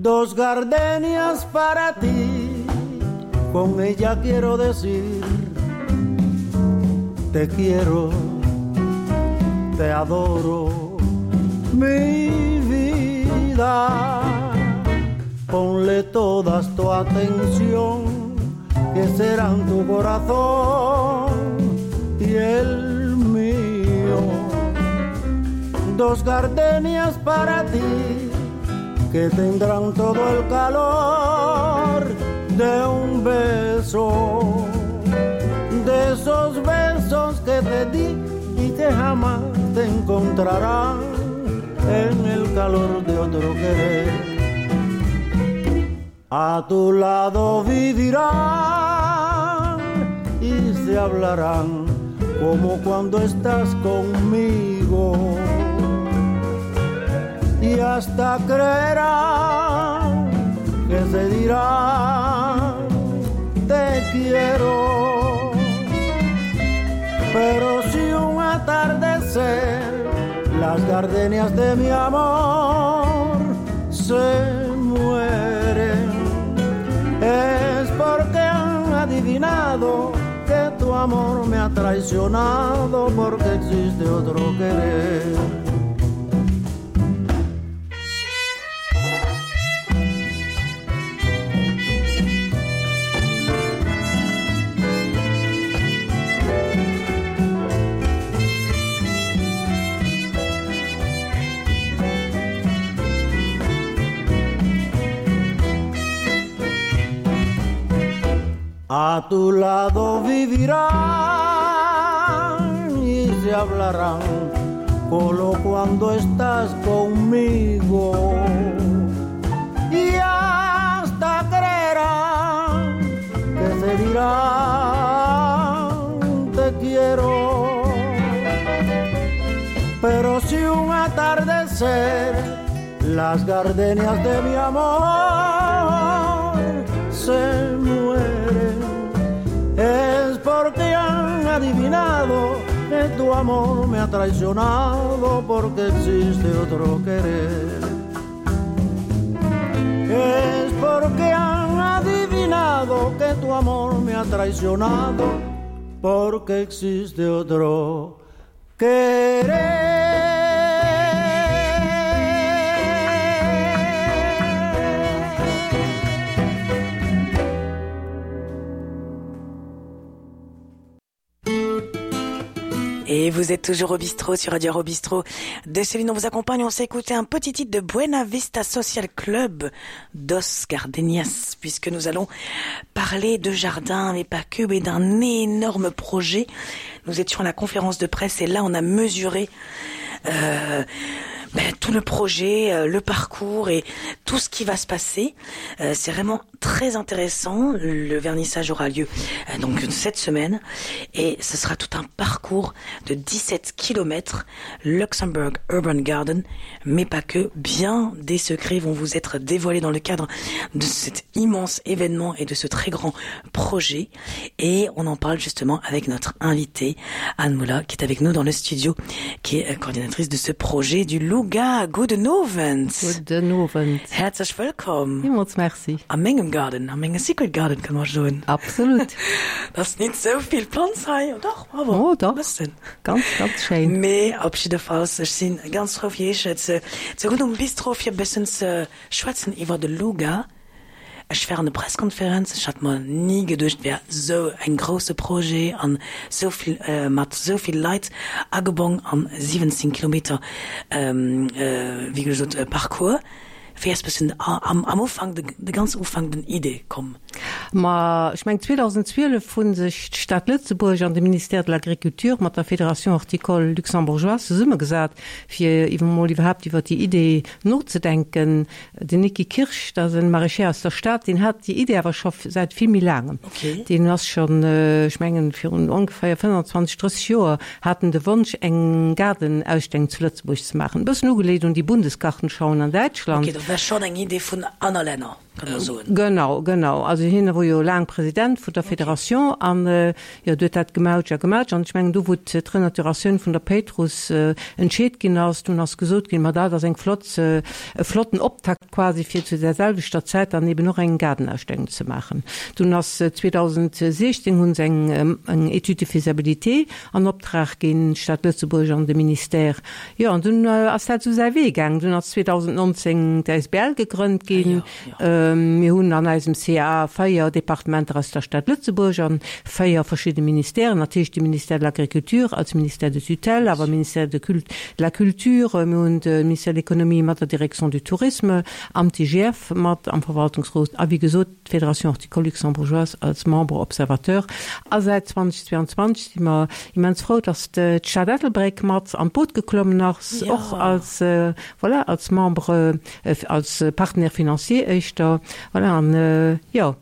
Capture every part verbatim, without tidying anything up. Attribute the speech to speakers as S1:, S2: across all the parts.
S1: Dos gardenias para ti, con ella quiero decir, te quiero, te adoro, mi vida. Ponle todas tu atención, que serán tu corazón y el mío. Dos gardenias para ti, que tendrán todo el calor de un beso, de esos besos que te di y que jamás te encontrarán en el calor de otro querer. A tu lado vivirán y se hablarán como cuando estás conmigo. Y hasta creerán que se dirán te quiero. Pero si un atardecer las gardenias de mi amor se mueren, es porque han adivinado que tu amor me ha traicionado porque existe otro querer. A tu lado vivirán y se hablarán solo cuando estás conmigo. Y hasta creerán que se dirán te quiero. Pero si un atardecer las gardenias de mi amor se mueren, es porque han adivinado que tu amor me ha traicionado porque existe otro querer. Es porque han adivinado que tu amor me ha traicionado porque existe otro querer.
S2: Et vous êtes toujours au bistrot sur Radio Bistrot de Céline, on vous accompagne, on s'est écouté un petit titre de Buena Vista Social Club dos Gardenias, puisque nous allons parler de jardin, mais pas que, mais d'un énorme projet. Nous étions à la conférence de presse et là on a mesuré euh, ben, tout le projet, euh, le parcours et tout ce qui va se passer. Euh, c'est vraiment très intéressant. Le vernissage aura lieu euh, donc cette semaine et ce sera tout un parcours de dix-sept kilomètres Luxembourg Urban Garden, mais pas que. Bien des secrets vont vous être dévoilés dans le cadre de cet immense événement et de ce très grand projet. Et on en parle justement avec notre invitée Anne Moula, qui est avec nous dans le studio, qui est coordinatrice de ce projet du Luga. Gudden Owend.
S3: Gudden Owend.
S2: Häerzlech wëllkomm.
S3: Villmools merci.
S2: A mengem Garden, a menge Secret Garden, kann man soen.
S3: Absolut.
S2: Dat ass nit sou vill Planz hei, dach, awer
S3: Oh, dach.
S2: bëssen.
S3: Ganz, ganz schéin.
S2: Mee op jiddefalls, ech si ganz frou fir iech ze ze hunn um Bistro fir e bëssen ze schwätzen iwwer de Luga. Ech war an der Presskonferenz, ech hat mer ni geduecht, wär sou eng grousse Projet an sou vill, mat sou vill Leit agebonn an siwwenzéng Kilometer, wéi gesot, Parcours. Wéi ass bëssen am am Ufank, de ganz Ufank den Idee komm?
S3: Ma ech mengen zweedausendzwielef hu sech d'Stad Lëtzebuerg an de Ministère de l'Agriculture mat der Fédération horticole luxembourgeoise zesummegesat, fir iwwer emol iwwerhaapt iwwer déi Idee nozedenken. Den Niki Kirsch, dat ass e Maraîcher aus der Stad, deen hat déi Idee awer scho säit vill méi laangem. Deen ass schonn, ech mengen, virun ongeféier fënnanzwanzeg, drësseg Joer hat en de Wonsch, eng Gaardenausstellung zu Lëtzebuerg ze maachen, e bëssen ugeleet un déi Bundesgartenschauen an Däitschland.
S2: Ok, dat war schonn eng Idee vun aner Länner. kann man soen.
S3: Genau, genau. Also hien wor jo laang President vun der Fédération an jo, huet dat gemautscht a gemautscht. An ech mengen, do wou d'Renaturatioun vun der Péitruss entscheet ginn ass, dunn ass gesot ginn, ma dat ass eng flott, e flotten Optakt quasi fir zu där selwechter Zäit dann eben och eng Gaardenausstellung ze maachen. Dunn ass zweedausendsechzéng hu se eng eng Étude de faisabilité an Optrag ginn, d'Stad Lëtzebuerg an de Ministère. Jo, an dunn ass dat esou säi Wee gaangen. Dunn ass zweedausendnonzéng d'A S B L gegrënnt ginn. Mir hunn an eisem C A véier Departementer aus der Stad Lëtzebuerg an véier verschidde Ministèren, natierlech de Ministère de l'Agriculture als Ministère de tutelle, awer Ministère de de la Culture, mir hunn de Ministère de l'Économie mat der Direction du Tourisme, am T G F mat am Verwaltungsrot a wéi gesot d'Fédération horticole luxembourgeoise als Membre observateur. A säit zweedausendzweianzwanzeg si mer immens frou, dass d'Stad Ettelbréck mat an d'Boot geklommen ass, och als, voilà, als Membre, als Partenaire financier éischter, voilà, an jo,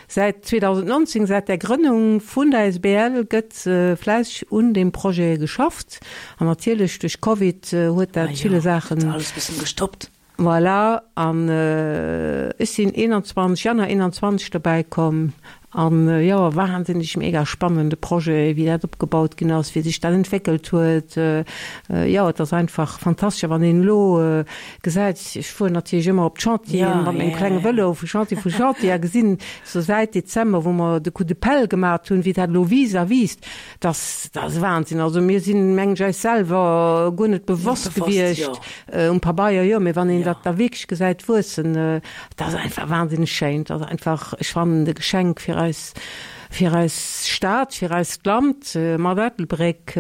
S3: säit zweedausendnonzéng, säit der Grënnung vun der A S B L gëtt fläisseg un deem Projet geschafft an natierlech duerch Covid huet dat ville Saachen.
S2: Alles bëssen gestoppt.
S3: Voilà, an ech sinn eenanzwanzeg, Januar eenanzwanzeg dobäi komm an jo, wahnsinneg mega spannende Projet, wéi dat opgebaut ginn ass, wéi sech dat entwéckelt huet. Jo, et ass einfach fantastesch, a wann een elo gesäit, ech fueren natierlech ëmmer op d'Chantieren mat mengem klenge Vëlo vu Chantier vu Chantier a gesinn sou säit Dezember, wou mer de Coup de pelle gemat hunn, wéi dat elo wiisst a wiisst, dass dat ass Wahnsinn. Also mir sinn, mengen ech, eis selwer guer net bewosst gewiescht, um Pabeier jo, mee wann een dat da wierklech gesäit wuessen, dat ass einfach wahnsinneg schéin. Dat ass einfach, ech fannen, e Geschenk fir eis, fir eis Stad, fir eist Land mat Ettelbréck.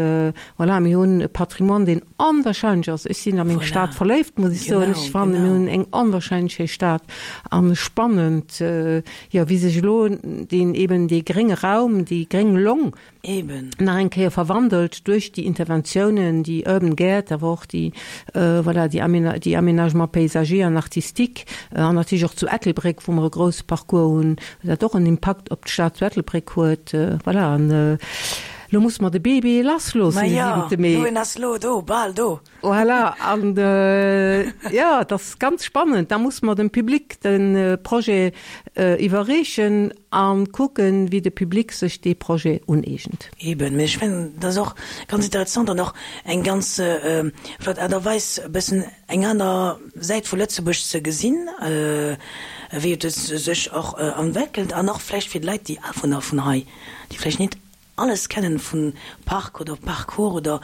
S3: Voilà, mir hunn e Patrimoine, deen onwahrscheinlech ass. Ech sinn a meng Stad verléift, muss ech soen. Ech fannen, mir hunn eng onwahrscheinlech schéi Stad an spannend, jo, wéi sech elo deen eben dee grénge Raum, déi gréng Long,
S2: Eben.
S3: nach eng Kéier verwandelt duerch déi Interventiounen, déi Urban Gäert, awer och déi, voilà, déi Aména déi Aménagements paysagers an artistiques an natierlech och zu Ettelbréck, wou mer e grousse Parcours hunn, dat och en Impakt op d'Stad zu Ettelbréck huet. Voilà, an elo musse mer de Bébé lassloossen
S2: de
S3: siwente
S2: Ma jo,
S3: Mee.
S2: lo en ass lo do, bal do.
S3: Voilà, an jo, et ass ganz spannend. Da musse mer dem Public de Projet iwwerreechen a kucken, wéi de Public sech dee Projet uneegent.
S2: Eben, mee ech fannen, dat ass och ganz interessant an och eng ganz flott Aart a Weis, e bëssen eng aner Säit vu Lëtzebuerg ze gesinn, wéi et sech och entwéckelt an och vläicht fir d'Leit, déi Awunner vun hei, déi vläicht net alles kennen vun Park oder Parcours oder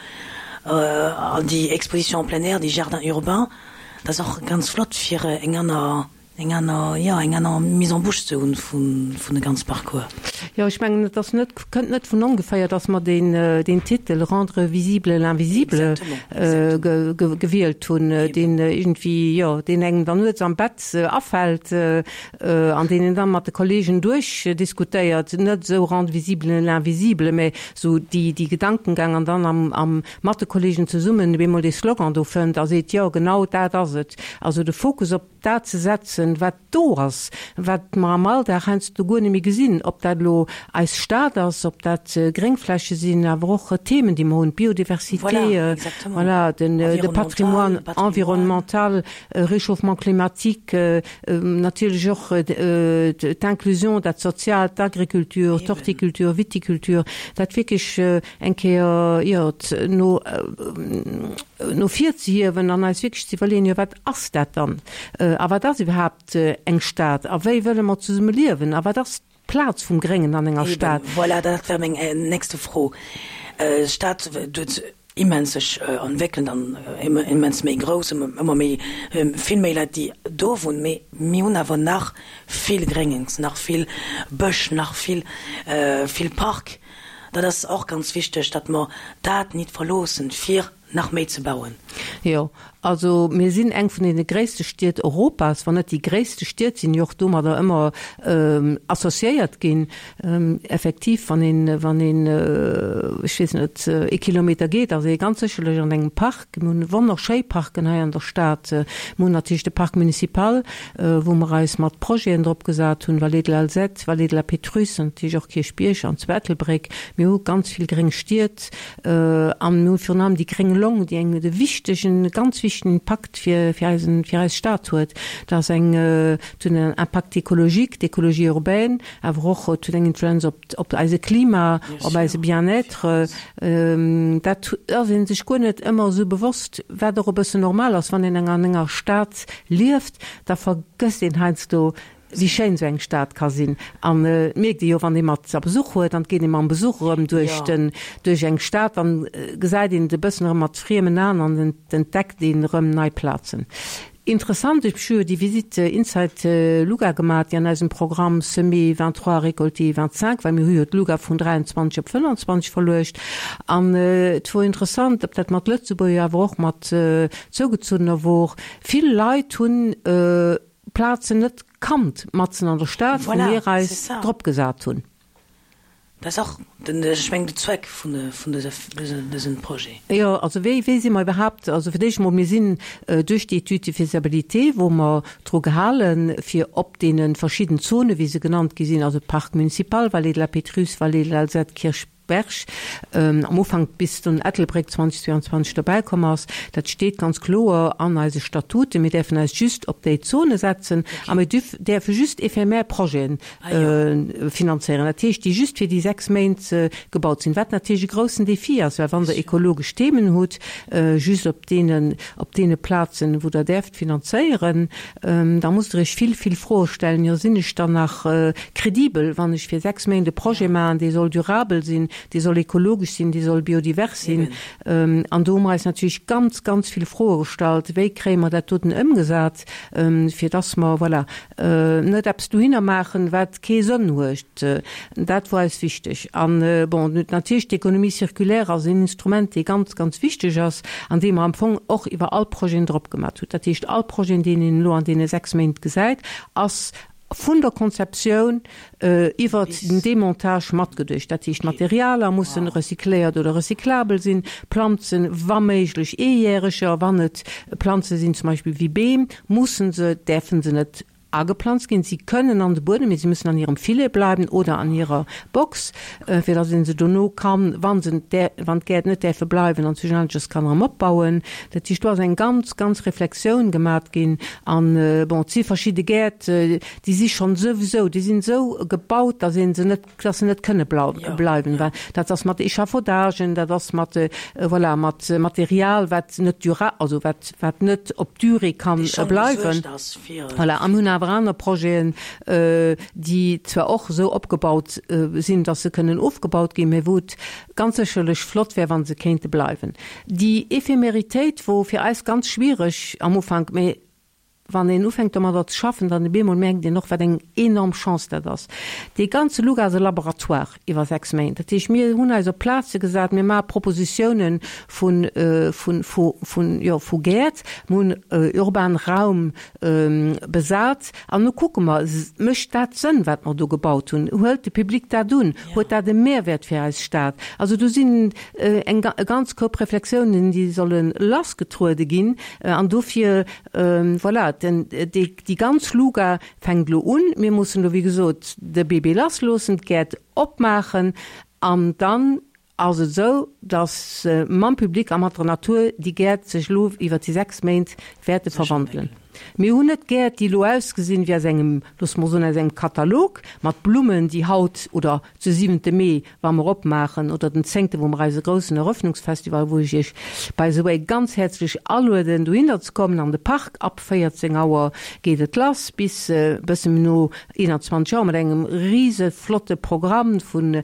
S2: an déi Exposition en plein air, déi Jardins urbains, dat ass och ganz flott fir eng aner, eng aner, jo, eng aner Mise en bouche ze hunn vun, vun de ganz Parcours.
S3: Jo, ech mengen, et ass net, kënnt net vun ongeféier, dass mer deen, deen Titel Rendre visible l'invisible ge, ge, gewielt hunn, deen iergendwéi, jo, deen engem dann nuets am Bett afält an deen een dann mat de Kollegen duerchdiskutéiert, net esou Rendre visible l'invisible, mä esou déi, déi Gedankengang an dann am, am, mat de Kollegen zesummen op eemol dee Slogan do fënnt a seet, jo, genau dat ass et. Also de Fokus op dat ze setzen, wat do ass, wat mer am Alldag heiansdo guer net méi gesinn, ob dat elo eis Stad ass, ob dat Gréngfläche sinn, awer och Themen, déi mer hunn, d'Biodiversité, voilà, den, de Patrimoine environnemental, Réchauffement climatique, natierlech och d'Inclusion, dat Soziaalt, d'Agriculture, d'Horticulture, Viticulture, dat wierklech eng Kéier, jo, no, no vir ze hiewen an eis wierklech ze iwwerleeën, jo, wat ass dat dann? A wat ass iwwerhaapt eng Stad? A wéi wëlle mer zesumme liewen? A wat ass d'Plaz vum Gréngen an enger Stad?
S2: Voilà, dat wär meng nächste Fro. D'Stad huet immens sech entwéckelt an immens méi grouss, ëmmer méi, vill méi Leit, déi do wunnen, mee mir hunn awer nach vill Gréngens, nach vill Bësch, nach vill, vill Park. Dat ass och ganz wichteg, datt mer dat nit verloossen, fir nach méi ze bauen.
S3: Jo, also mir sinn eng vun deene gréisste Stied Europas, wann net déi gréisste Stied, sinn jo och domadder ëmmer associéiert ginn. Effektiv, wann een, wann een, ech weess net, ee Kilometer geet, ass ee ganz sécherlech an engem Park. Mir hunn wonnerschéi Parken hei an der Stad. Mir hunn natierlech de Parc municipal, wou mer eis mat Projeten drop gesat hunn, Vallée de l'Alzette, Vallée de la Pétrusse an natierlech och Kierchbierg an zu Ettelbréck. Mir hu ganz vill gréng Stied an mir hu virun allem déi gréng Long, déi eng de wichtegen, ganz wichtegen wichtegen Impakt fir fir eisen fir eis Stad huet. Dat ass eng et huet en Impact écologique, d'écologie urbaine, awer och et huet eng Influenz op op eise Klima, op eise Bien-être. Dat ass ee sech guer net ëmmer esou bewosst, wat och e bëssen normal ass, wann een an enger Stad lieft, da vergësst een heiansdo, wéi schéin esou eng Stad ka sinn. An et mierkt ee jo, wann ee mat a Besuch huet, dann geet ee mam Besuch erëm duerch den, duerch eng Stad, dann gesäit een et e bëssen erëm mat friemen Aen an entdeckt een erëm nei Plazen. Interessant, ech hu jo déi Visite Inside Luga gemaach, déi an eisem Programm Semer vingt-trois, récolter vingt-cinq, well mir hu jo d'Luga vun dräianzwanzeg op fënnanzwanzeg verluecht. An et wor interessant, ob dat mat Lëtzebuerger, awer och mat Zougezunnener wor, vill Leit hunn Plazen net kannt matzen an der Stad, wou mir eis drop gesat hunn.
S2: Dat ass och den, ech mengen, de Zweck vun vun dësem Projet.
S3: Jo, also wéi, wéi si mer iwwerhaapt, also fir d'éischt emol, mir sinn duerch déi Étude de faisabilité, wou mer dru gehalen, fir op deene verschidden Zonen, wéi se genannt gi sinn, also Parc municipal, Vallée de la Pétrusse, Vallée de l'Alzette, Kirchberg, am Ufank bis dunn Ettelbréck zweitausendzweiundzwanzeg dobäi komm ass, dat steet ganz kloer an eise Statuten, mir däerfen eis just op déi Zone setzen a mir däerfe just éphémère Projeten finanzéieren, dat heescht, déi just fir déi sechs Méint gebaut sinn, wat natierlech e groussen Défi ass, well wann Der ekologesch Themen hutt, just op deenen, op deene Plazen, wou Der däerft finanzéieren, da musst Der Iech vill, vill Froe stellen, Jo, sinn ech dann nach kredibel, wann ech fir sechs Méint e Projet maachen, dee soll durabel sinn, dee soll ekologesch sinn, dee soll biodivers sinn. An do hu mer eis natierlech ganz, ganz vill Froe gestallt, Wéi kréie mer dat doten ëmgesat, fir dass mer, voilà, net eppes dohinner maachen, wat kee Sënn huet. Dat wor eis wichteg. An, bon, natierlech d'Économie circulaire ass een Instrument, dee ganz, ganz wichteg ass an dee mer am Fong och iwwer all Projeten drop gemat hunn. Dat heescht, all Projet, deen een elo an deene sechs Méint gesäit, ass vun der Konzeptioun iwwert den Demontage matgeduecht. Dat heescht, d'Materialer mussen recycléiert oder recyclabel sinn, Planzen, wa méiglech eejäreger, wann et Planze sinn, zum Beispill wéi Beem, mussen se, däerfe se net ageplanzt ginn. Si kënnen an de Buedem, mee si müssen an hirem Filet bleiwen oder an hirer Box, fir datt ee se dono kann, wa se, wann d'Gäert net däerfe bleiwen, an schlussendlech kann erëm opbauen. Dat heescht, do ass eng ganz, ganz Reflexioun gemat ginn. An, bon, et si verschidde Gäert, déi si schonn souwisou, déi sinn esou gebaut, datt ee se net, datt se net kënne bleiwen. Well dat ass mat Echafaudagen, dat ass mat, voilà, mat Material, wat net dura-, also wat, wat net op d'Durée ka bleiwen. Voilà, a mir hunn awer aner Projeten, déi zwar och esou opgebaut sinn, datt se kënnen ofgebaut ginn, mä wou et ganz sécherlech flott wär, wa se kéinte bleiwen. Déi Ephemeritéit wor fir eis ganz schwiereg am Ufank, mä wann een ufänkt domadder ze schaffen, dann op eemol mierkt een och, wat eng enorm Chance dat ass. Dee ganze Luga ass e Laboratoire iwwer sechs Méint. Dat heescht, mir hunn eis op Plaze gesat, mir maache Propositiounen vun, vun, vu, vun, jo, vu Gäert, mir hunn urban Raum besat an nu kucke mer, mécht dat Sënn, wat mer do gebaut hunn? Huelt de Public dat un? Huet dat e Mehrwert fir eis Stad? Also do sinn eng, e ganz Koup Reflexiounen, déi solle lassgetruede ginn an dofir, voilà, den, déi, déi ganz Luga fänkt elo un. Mir mussen elo, wéi gesot, de Bébé lassloossen, d'Gäert opmaachen an dann ass et esou, dass mam Public a mat der Natur déi Gäert sech elo iwwer déi sechs Méint wäerte verwandelen. Mir hunn net Gäert, déi elo ausgesinn wéi aus engem, loosse mer soen, aus engem Katalog mat Blummen, déi haut oder zu siwente Mee, wa mer opmaachen, oder den zéngte, wou mer eise groussen Eröffnungsfestival, wou ech Iech by the way ganz häerzlech alueden, dohinner ze kommen an de Park, ab véierzéng Auer geet et lass bis e bësse méi no eenanzwanzeg Auer mat engem rise flotte Programm vun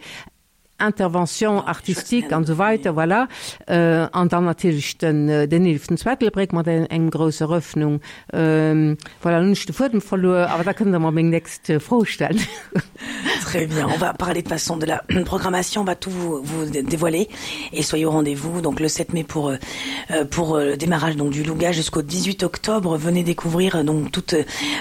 S3: Interventions artistiques an esou weiter, voilà. An dann natierlech den den eeleften zu Ettelbréck mat engem grousser Eröffnung. Voilà, elo hunn ech de Fuedem verluer, awer da kënnt Der mer meng nächst Fro stellen.
S2: Très bien, on va parler de façon de la programmation, on va tout vous, vous dévoiler et soyez au rendez-vous donc le sept mai pour pour le démarrage donc du Louga jusqu'au dix-huit octobre. Venez découvrir donc tout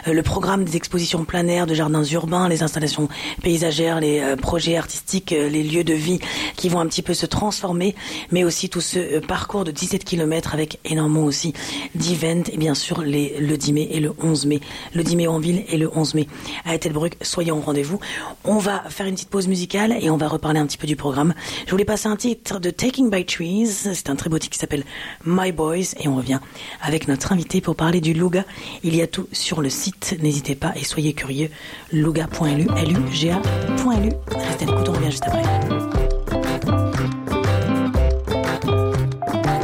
S2: le programme des expositions plein air de jardins urbains, les installations paysagères, les projets artistiques, les lieux de de vie qui vont un petit peu se transformer, mais aussi tout ce euh, parcours de dix-sept kilomètres avec énormément aussi d'events et bien sûr les, le dix mai et le onze mai. Le dix mai en ville et le onze mai à Ettelbruck, soyez au rendez-vous. On va faire une petite pause musicale et on va reparler un petit peu du programme. Je voulais passer un titre de Taking by Trees, c'est un très beau titre qui s'appelle My Boys et on revient avec notre invité pour parler du Luga. Il y a tout sur le site, n'hésitez pas et soyez curieux. Luga point L U, L U G A point L U. Restez à l'écoute, on revient juste après.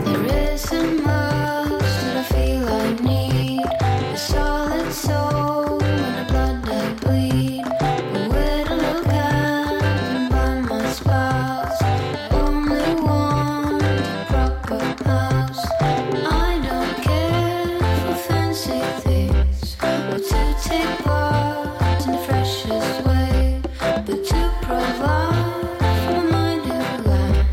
S4: There isn't much that I feel I need. A solid soul and the blood I bleed. A widow captain by my spouse. Only want a proper house. I don't care for fancy things or to take part in the freshest way, but to provide for my new lands.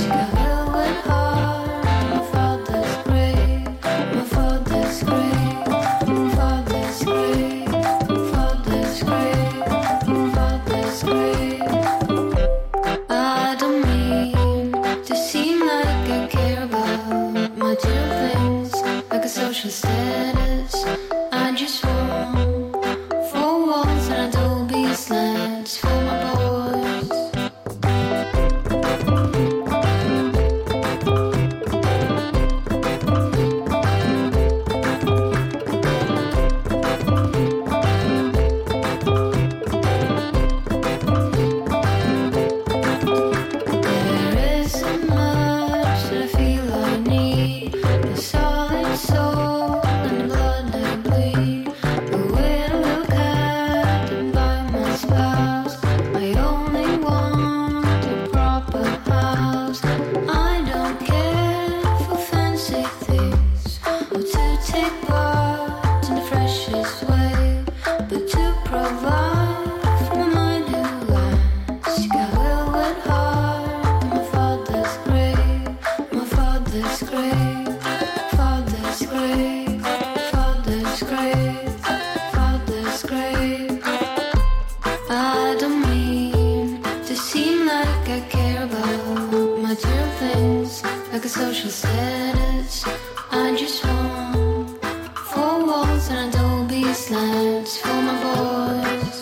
S4: Got velvet heart, my father's grave, my father's grave, my father's grave, my father's grave, my father's grave. I don't mean to seem like I care about material things, like a social status. I just want four walls and adobe slants for my boys. There isn't much that I feel I need. A solid soul and the blood I bleed. A widow captain by my spouse. I only want a proper house. I don't care for fancy things or to take part in the freshest way, but to provide for my new lands. Got velvet heart, my father's grave, my father's grave, father's grave, father's grave, father's grave. I don't mean to seem like I care about material things, like a social status. I just want four walls and adobe slants for my boys.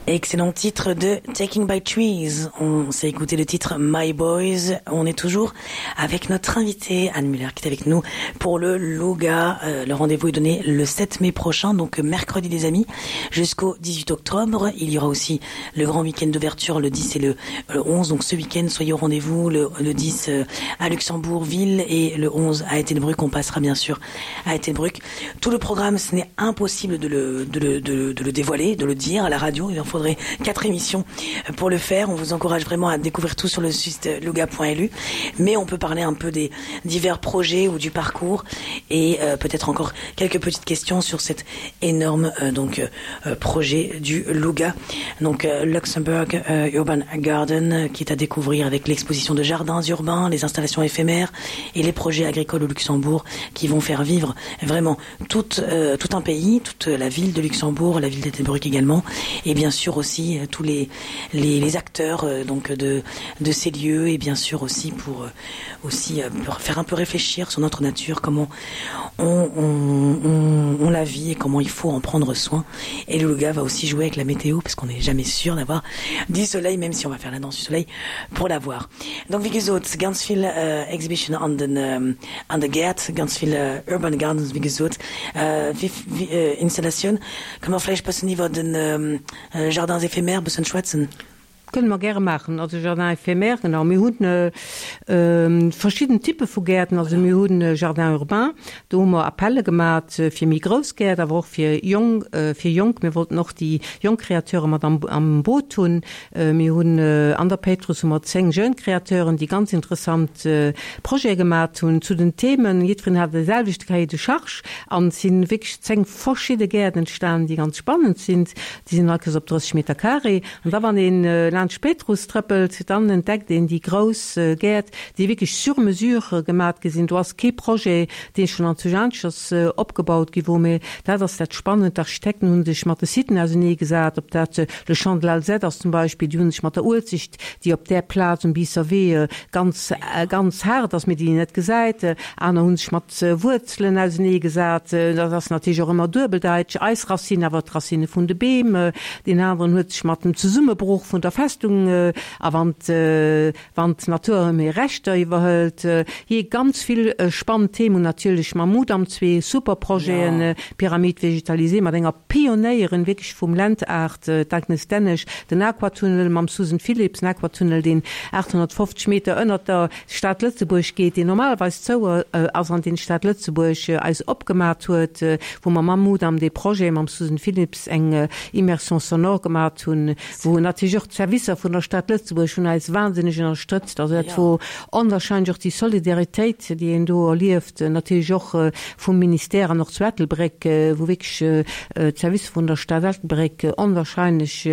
S2: Excellent titre de Taking by Trees. On s'est écouté le titre My Boys. On est toujours avec notre invité Anne Muller qui est avec nous pour le Luga. Euh, le rendez-vous est donné le sept mai prochain, donc mercredi les amis, jusqu'au dix-huit octobre. Il y aura aussi le grand week-end d'ouverture le dix et le, le onze. Donc ce week-end, soyez au rendez-vous le, le dix euh, à Luxembourg-Ville et le onze à Ettelbruck. On passera bien sûr à Ettelbruck. Tout le programme, ce n'est impossible de le, de, le, de, le, de le dévoiler, de le dire à la radio. Il en faudrait quatre émissions pour le faire. On vous encourage vraiment à découvrir tout sur le site luga point L U. Mais on peut parler un peu des divers projets ou du parcours et euh, peut-être encore quelques petites questions sur cet énorme euh, donc euh, projet du Luga. Donc euh, Luxembourg euh, Urban Garden euh, qui est à découvrir avec l'exposition de jardins urbains, les installations éphémères et les projets agricoles au Luxembourg qui vont faire vivre vraiment tout, euh, tout un pays, toute la ville de Luxembourg, la ville d'Ettelbruck également et bien sûr aussi euh, tous les, les, les acteurs euh, donc de, de ces lieux et bien sûr aussi pour euh, aussi euh, pour faire un peu réfléchir sur notre nature, comment on, on, on, on la vit et comment il faut en prendre soin. Et le Luga va aussi jouer avec la météo parce qu'on n'est jamais sûr d'avoir du soleil, même si on va faire la danse du soleil pour l'avoir. Donc wéi gesot, ganz vill äh, Exhibition an den ähm, an de Gäert, ganz vill äh, Urban Gardens wéi gesot. Äh, wéi, wéi, äh, Installatioun. Kënne mer vläicht bëssen iwwer den ähm, äh, Jardins éphémères bëssen schwätzen?
S3: Kënne mer gäre maachen. Also Jardin éphémère, genau. Mir hunn verschidden Typpe vu Gäerten. Also mir hunn Jardin urbain, do hu mer Appelle gemat fir méi grouss Gäert, awer och fir jong, fir jonk. Mir wollten och déi jonk Créateure mat am am Boot hunn. Mir hunn an der Péitruss hu mer zéng Jeunes Créateuren, déi ganz interessant Projete gemat hunn zu den Themen. Jiddwereen hat de selwechte Cahier de charges an et si wierklech zéng verschidde Gäert entstanen, déi ganz spannend sinn. Déi sinn all Kéiers op drësseg Meter carré. An da wann een laanscht d'Péitruss trëppelt, dann entdeckt een déi grouss Gäert, déi wierklech sur mesure gemat gi sinn. Do ass kee Projet, dee schonn an Zujanschers opgebaut gi wor, mee dat ass dat Spannend, d'Architekten hu sech mat de Siten auseneegesat, ob dat le Champ de l'Alzette ass zum Beispill, déi hu sech mat der Uelzecht, déi op där Plaz um Biisser Wee ganz, ganz haart ass, mee déi een net gesäit. Aner hu sech mat Wuerzelen auseneegesat, dat ass natierlech och ëmmer duebeldeitsch, eis Racine, awer d'Racine vun de Beem. Deen aneren huet sech mat dem Zesummebroch vun der Festung a wann wann d'Natur erëm hir Rechter iwwerhëlt. Jee, ganz vill spannend Themen. Natierlech mam Mudam zwee super Projeten, Pyramide végétalisée mat enger Pionéierin wierklech vum Land-Art, d'Agnes Dennesch, den Aquatunnel mam Susan Philipsz, en Aquatunnel, deen aathonnertfofzeg Meter ënnert der Stad Lëtzebuerg geet, deen normalerweis zou ass an deen d'Stad Lëtzebuerg eis opgemat huet, wou mer mam Mudam dee Projet mam Susan Philipsz eng Immersion sonore gemat hunn, wou natierlech och d'Servicer vun der Stad Lëtzebuerg hunn eis wahnsinneg ënnerstëtzt. Also dat wor onwahrscheinlech, och déi Solidaritéit, déi een do erlieft, natierlech och vum Ministère an och zu Ettelbréck, wou wierklech d'Servicer vun der Stad Ettelbréck onwahrscheinlech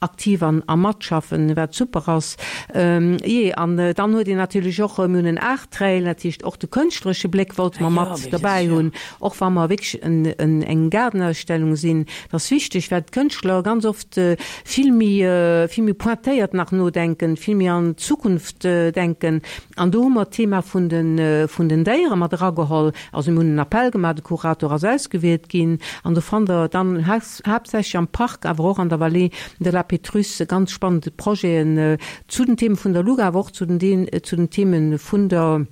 S3: aktiv an a matschaffen, wat super ass. Jee, an dann huet een natierlech och, mir hunn en Art Trail, dat heescht och de kënschtleresche Bléck wollte mer mat derbäi hunn, och wa mer wierklech en eng Gaardenausstellung sinn. Dat ass wichteg, well d'Kënschtler ganz oft vill méi, vill méi pointéiert nach nodenken, vill méi an d'Zukunft denken. An do hu mer d'Thema vun de, vun den Déiere mat erageholl. Also mir hunn en Appell gemaach, de Kurator ass ausgewielt ginn an do fannt Der dann haaptsächlech am Park, awer och an der Vallée de la Pétrusse ganz spannend Projeten zu den Themen vun der Luga, awer och zu den, zu den Themen vun der,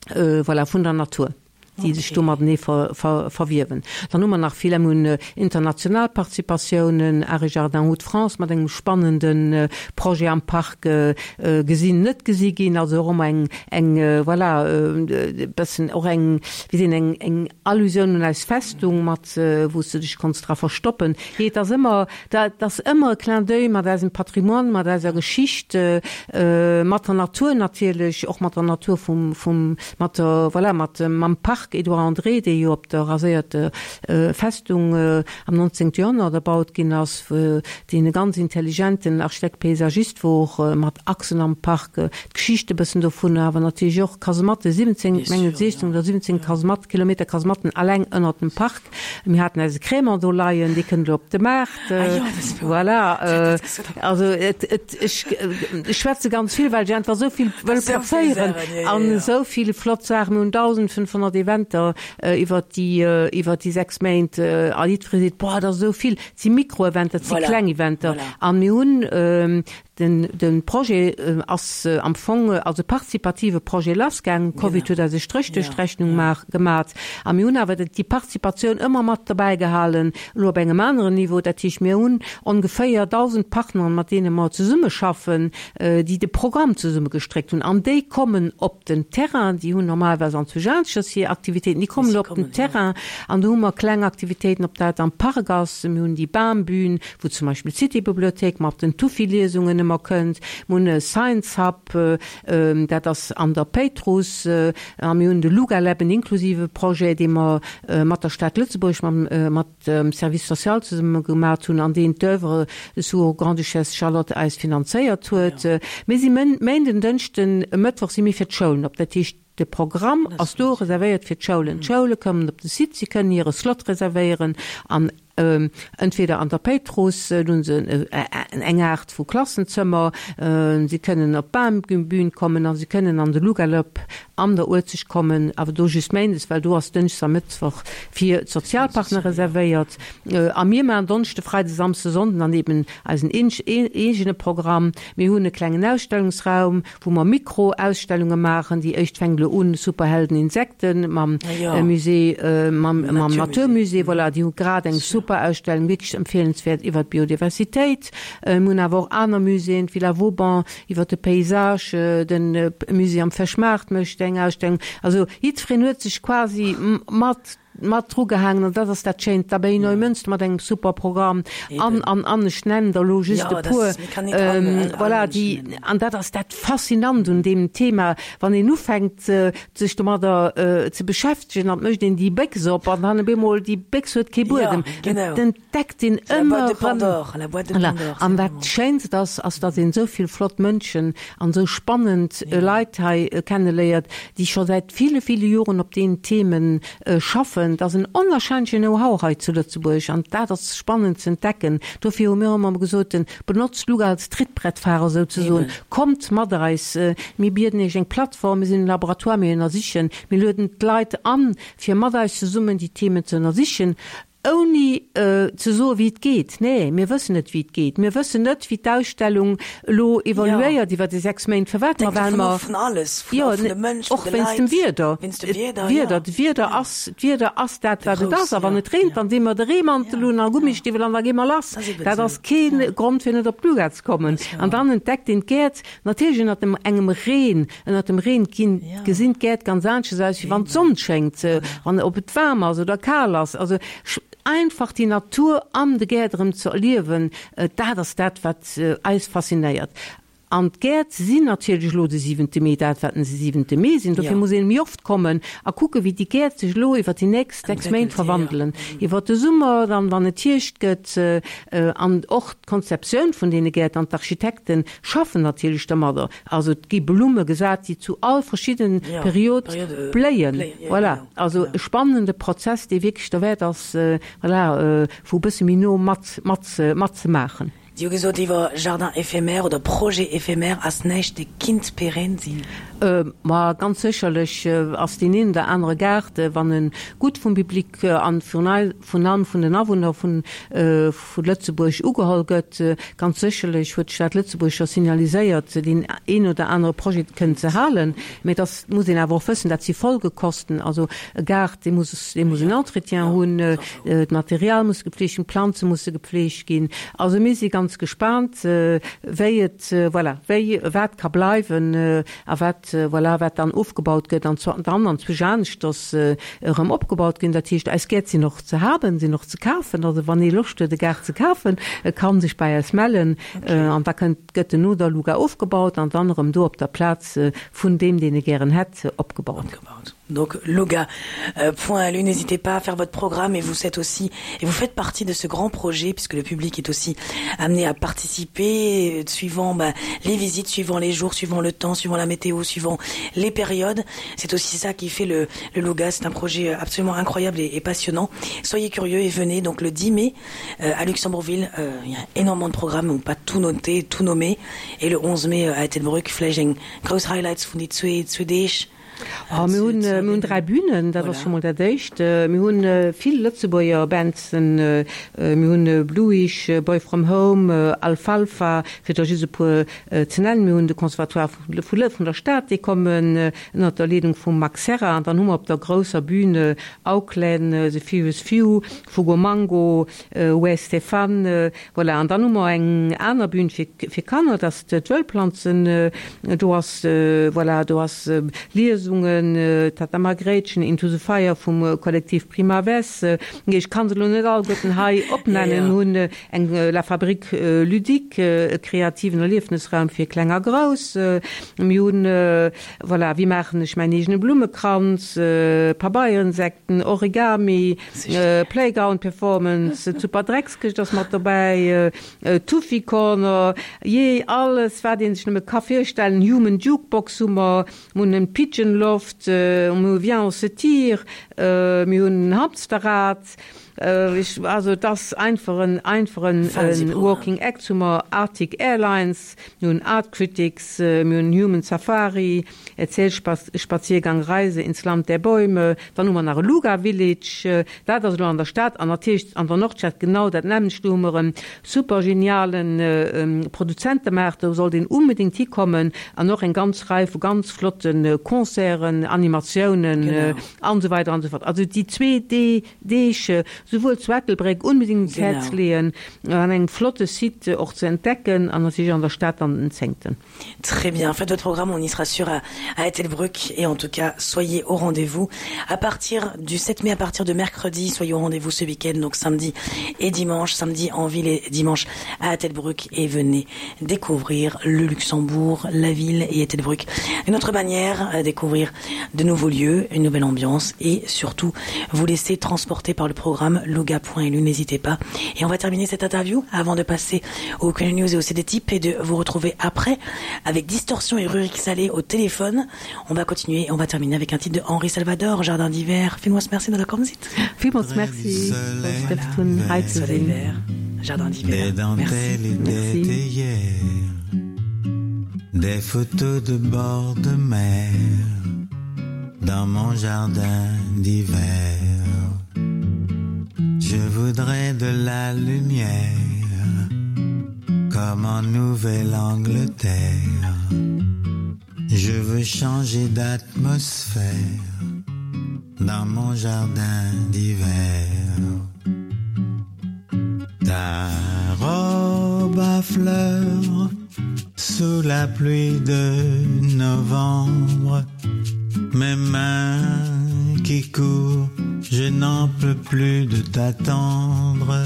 S3: voilà, vun der Natur, déi sech do matenee verwiewen. Dann hu mer nach vill, mir hunn international Participatiounen, Art et Jardins Hauts-de-France mat engem spannende Projet am Park, gesinn, net gesi ginn, also och ëmmer eng, eng, voilà, e bëssen och eng, wéi seet een, eng, eng Allusioun un eis Festung mat, wou s de dech konns dra verstoppen. Jee, et ass ëmmer, dat ass ëmmer e Clin d'oeil mat eisem Patrimoine, mat eiser Geschicht, mat der Natur natierlech, och mat der Natur vum, vum, mat der, voilà, mat, mam Park Edouard André, dee jo op der raséierter Festung am nonzéngte Joerhonnert erbaut ginn ass, deen e ganz intelligenten Architekt paysagiste wor, mat Achsen am Park, d'Geschicht e bëssen dovunner, awer natierlech och Kasematte, siwwenzéng, mengen siechzéng oder siwwenzéng Kasematten, Kilometer Kasematten alleng ënnert dem Park. Mir haten eise Crémant do leien, dee kënnt elo op de Maart. Voilà, also et, et, ech, ech schwätze ganz vill, well ech einfach esou vill wëll plazéieren an esou vill flott Saachen. Mir hunn dausendfënnfhonnert Eventer iwwert déi, iwwert déi sechs Méint a jiddweree seet, Boah, dat ass esou vill. Et si Mikroeventer, et si kleng Eventer. A mir hunn den, de Projet ass am Fong als e partizipative Projet lassgaangen. Covid huet eis e Stréch duerch d'Rechnung gemat. A mir hunn awer déi Participatioun ëmmer mat derbäi gehalen, elo op engem aneren Niveau. Dat heescht, mir hunn ongeféier dausend Partneren, mat deene mer zesummeschaffen, déi de Programm zesummegestréckt hunn. An déi kommen op den Terrain, déi hunn normalerweis an Zujanschers hir Aktivitéiten, déi kommen elo op den Terrain. An do hu mer kleng Aktivitéiten, ob dat am Park ass, mir hunn déi Bambühn, wou zum Beispill d'City-Bibliothéik mat den Tufi-Liesungen ëmmer kënnt, mir hunn e Science Hub, dat ass an der Péitruss, a mir hunn de Luga Lab, en inklusive Projet, dee mer mat der Stad Lëtzebuerg, mam mat dem Service social zesumme gemat hunn an deen d'Oeuvre sous Grande-Duchesse Charlotte eis finanzéiert huet. Mir si Méinden, Dënschden, Mëttwoch si mir fir d'Schoulen op. Dat heescht, de Programm ass do reservéiert fir d'Schoulen. D'Schoule kommen op de Site, si kënnen hire Slot reservéieren an entweder an der Péitruss, do hu se eng Aart vu Klassenzëmmer, si kënnen op d'Bambühn kommen a si kënnen an de Lugalab an der Uelzecht kommen, awer do just méindes, well do ass Dënschdes a Mëttwoch fir d'Sozialpartner reservéiert. A mir maachen Donneschde, Freide, Samsde, Sonnden an eben eisen eegene Programm. Mir hunn e klengen Ausstellungsraum, wou mer Mikroausstellunge maachen. Déi éischt fänkt elo un, Superhelden Insekten mam Musée, mam Naturmusée, voilà, déi hu grad eng super. super Ausstellung, wierklech empfeelenswäert iwwer d'Biodiversitéit. Mir hunn awer och aner Muséeën, d'Villa Vauban iwwer de Paysage, de Musée am Fëschmaart mécht eng Ausstellung. Also jiddwereen huet sech quasi mat mat drugehaangen an dat ass dat Schéint. D'Abbaye Neumünster mat engem super Programm an, an, an, ech nennen der elo just e puer. Voilà, déi, an dat ass dat Faszinant un deem Thema, wann een ufänkt sech domadder ze beschäftegen, an et mécht een déi Béchs op an dann op eemol, déi Béchs huet kee Buedem, et entdeckt een ëmmer erëm. Voilà, an dat Schéinst ass, ass datt een esou vill flott Mënschen an esou spannend Leit hei kenneléiert, déi scho säit ville, ville Joren op deenen Themen schaffen. Et ass en onwahrscheinlechen Know-how hei zu Lëtzebuerg an dat ass spannend ze entdecken. Dofir hu mir ëmmer gesot, benotzt Luga als Trittbrettfahrer souzesoen, kommt mat eis, mir bieden iech eng Plattform, mir sinn en Laboratoire, mir ënnersichen, mir lueden d'Leit an, fir mat eis zesummen déi Themen ze ënnersichen. Ouni ze soe wéi et geet. Nee, mir wëssen net wéi et geet. Mir wëssen net wéi d'Ausstellung elo evoluéiert iwwer déi sechs Méint. Firwat? Ma well mer, jo, och wéinst dem Wieder. D'Wieder, d'Wieder ass, d'Wieder ass dat wat et ass. A wann et reent, dann di mer de Reemantel un a Gummistiwwel an da gi mer lass. Dat ass kee Grond fir net op d'Luga ze kommen. An dann entdeckt een d'Gäert natierlech ënnert dem engem Reen. Ënnert dem Reen ginn, gesinn d'Gäert ganz aneschters aus wéi wann d'Sonn schéngt, wann, ob et waarm ass oder kal ass. Also einfach déi Natur an de Gäert erëm ze erliewen, dat ass dat, wat eis faszinéiert. An d'Gäert sinn natierlech elo de siwente Mee dat, wat se siwente Mee sinn. Dofir muss een méi oft kommen a kucken, wéi déi Gäert sech elo iwwer déi nächst sechs Méint verwandelen, iwwer de Summer, dann, wann et Hierscht gëtt. An och d'Konzeptioun vun deene Gäert an d'Architekte schaffen natierlech domadder. Also et gi Blumme gesat, déi zu all verschidden Periode bléien. Voilà, also e spannende Prozess, dee wierklech derwäert ass, voilà, wou e bësse méi no mat, mat, matzemaachen.
S2: Dir hu gesot iwwer Jardin éphémère oder Projet éphémère ass näischt, dee kinnt pérenne sinn.
S3: Ma ganz sécherlech ass deen een oder anere Gaart, wann e gutt vum Public an virun allem vun den Awunner vu Lëtzebuerg ugeholl gëtt, ganz sécherlech huet d'Stad Lëtzebuerg scho signaliséiert, deen een oder anere Projet kënnen ze halen. Mä et ass, muss een awer och wëssen, dat si Folgekosten. Also e Gaart, dee muss, dee muss en Entretien hunn, d'Material muss gepflegt ginn, d'Planze musse gepflegt ginn. Also mir si ganz gespaant, wéi et, voilà, wéi, wat ka bleiwen a wat, voilà, wat dann ofgebaut gëtt an zwar dann anzwousch aneschters erëm opgebaut ginn. Dat heescht, eis Gäert sinn och ze haben, sinn och ze kafen. Also wann ee Loscht huet, e Gaart ze kafen, e ka sech bei eis mellen an da kënnt, gëtt en no der Luga ofgebaut an dann erëm do op der Plaz vun deem, deen e gären hätt, opgebaut.
S2: Opgebaut. Donc luga point lu, n'hésitez pas à faire votre programme et vous êtes aussi et vous faites partie de ce grand projet puisque le public est aussi amené à participer suivant ben, les visites, suivant les jours, suivant le temps, suivant la météo, suivant les périodes. C'est aussi ça qui fait le, le Luga, c'est un projet absolument incroyable et, et passionnant. Soyez curieux et venez donc le dix mai euh, à Luxembourgville, euh, il y a énormément de programmes, on pas tout noter, tout nommer et le onze mai à Ettelbruck, vläicht eng grouss Highlights vun déi zwee zwee Deeg.
S3: Oh, mir hunn mir hunn dräi Bünen, dat ass scho mol dat éischt. Mir hunn vill Lëtzebuerger Bandsen, mir hunn Bluish, Boy From Home, Alfalfa, fir der just e puer ze nennen. Mir hunn de Conservatoire vu Lë vun der Stad, déi kommen ënnert der Leedung vum Max Serra. An dann hu mer op der grousser Bühne Auckland, The Furious Few, Fugo Mango, Wes Stefan, voilà. An dann hu mer eng aner Bühn fir fir Kanner, dat ass d'Wëllplanzen. Do ass, voilà, do ass Liesungen, Tata Margréitchen, Into the Fire vum Kollektiv Prima Ves. Ech kann se elo net alleguerten hei opnennen. Mir hunn eng La Fabrique ludique, e kreativen Erliefnisraum fir Kleng a Grouss. Mir hunn, voilà, Wéi maachen ech mäin eegene Blummekranz, Pabeierinsekten, Origami, Playground Performance, d'Super Dreckskëscht ass mat dobäi, Tuffy Corner, jee, alles wat ee sech nëmme ka virstellen, Human Jukebox hu mer, mir hunn en Pigeon Loft, mir hu Viens on se tire, mir hunn en Hamsterrad, ech, also et ass einfach en, einfach en Walking Act, hu mer Arctic Airlines, mir hunn Art Critics, mir hunn Human Safari, Erzählspaziergang Reise ins Land der Bäume, dann hu mer nach e Luga Village, dat ass elo an der Stad an natierlech an der Nordstad genau dat nämmlecht, do hu mer e super geniale Produzentemaart, do sollt een unbedéngt hikommen an och eng ganz Rei vu ganz flotte Concerten, Animatiounen an esou weider an esou fort. Also déi zwee Deeg, souwuel zu Ettelbréck onbedéngt un d'Häerz leeën, an engem flotte Site och ze entdecken an natierlech an der Stad dann den zéngten.
S2: Très bien, faites votre programme, on y sera sûr à, à Ettelbruck et en tout cas soyez au rendez-vous à partir du sept mai, à partir de mercredi, soyez au rendez-vous ce week-end, donc samedi et dimanche, samedi en ville et dimanche à Ettelbruck et venez découvrir le Luxembourg, la ville et Ettelbruck. Une autre manière à découvrir de nouveaux lieux, une nouvelle ambiance et surtout vous laisser transporter par le programme loga point lu, n'hésitez pas. Et on va terminer cette interview avant de passer au Q News et au C D Type et de vous retrouver après avec Distorsion et Rurik Salé au téléphone. On va continuer et on va terminer avec un titre de Henri Salvador, Jardin d'hiver. Villmools merci datt der komm sidd.
S3: Villmools merci,
S2: voilà. Soleil vert, Jardin d'hiver.
S1: Merci. Merci. Des photos de bord de mer dans mon jardin d'hiver. Je voudrais de la lumière comme en Nouvelle-Angleterre. Je veux changer d'atmosphère dans mon jardin d'hiver. Ta robe à fleurs sous la pluie de novembre, mes mains qui courent, je n'en peux plus de t'attendre.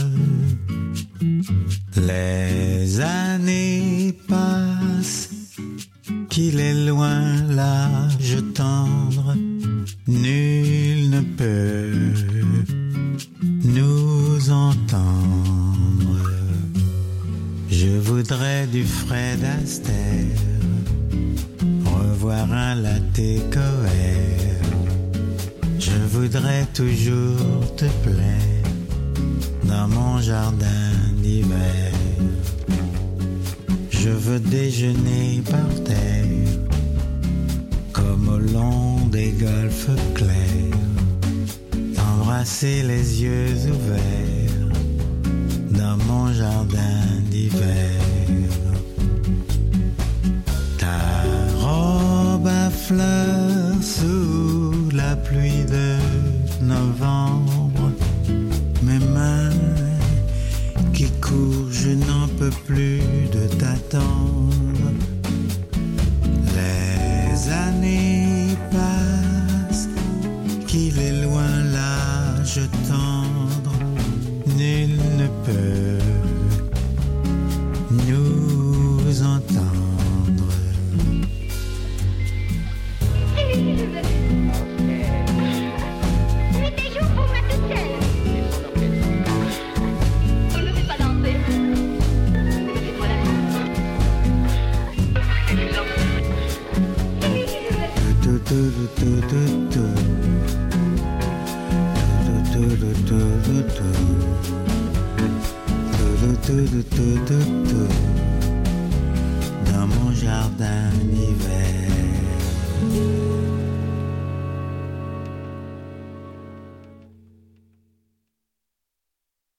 S1: Les années passent, qu'il est loin l'âge tendre, nul ne peut nous entendre. Je voudrais du Fred Astaire, revoir un Latécoère. Je voudrais toujours te plaire dans mon jardin d'hiver. Je veux déjeuner par terre comme au long des golfes clairs, t'embrasser les yeux ouverts dans mon jardin d'hiver. Ta robe à fleurs sous la pluie de novembre, mes mains qui courent, je n'en peux plus de t'attendre. Les années passent, qu'il est loin l'âge tendre, nul ne peut nous entendre. Dans mon jardin d'hiver.